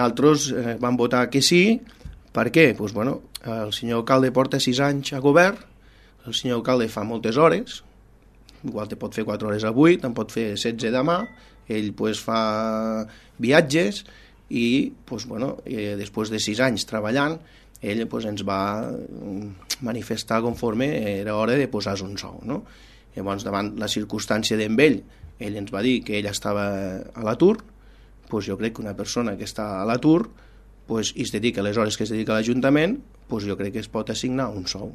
Nosaltres vam votar que sí. Per què? Doncs, bueno, el senyor alcalde porta 6 anys a govern, el senyor alcalde fa moltes hores, igual te pot fer 4 hores avui, te'n pot fer 16 demà, ell pues, fa viatges i pues, bueno, després de 6 anys treballant, ell pues, ens va manifestar conforme era hora de posar-se un sou. No? Llavors, davant la circumstància d'en ell ens va dir que ell estava a l'atur, pues, jo crec que una persona que està a l'atur pues, i es dedica a les hores que es dedica a l'Ajuntament, pues, jo crec que es pot assignar un sou.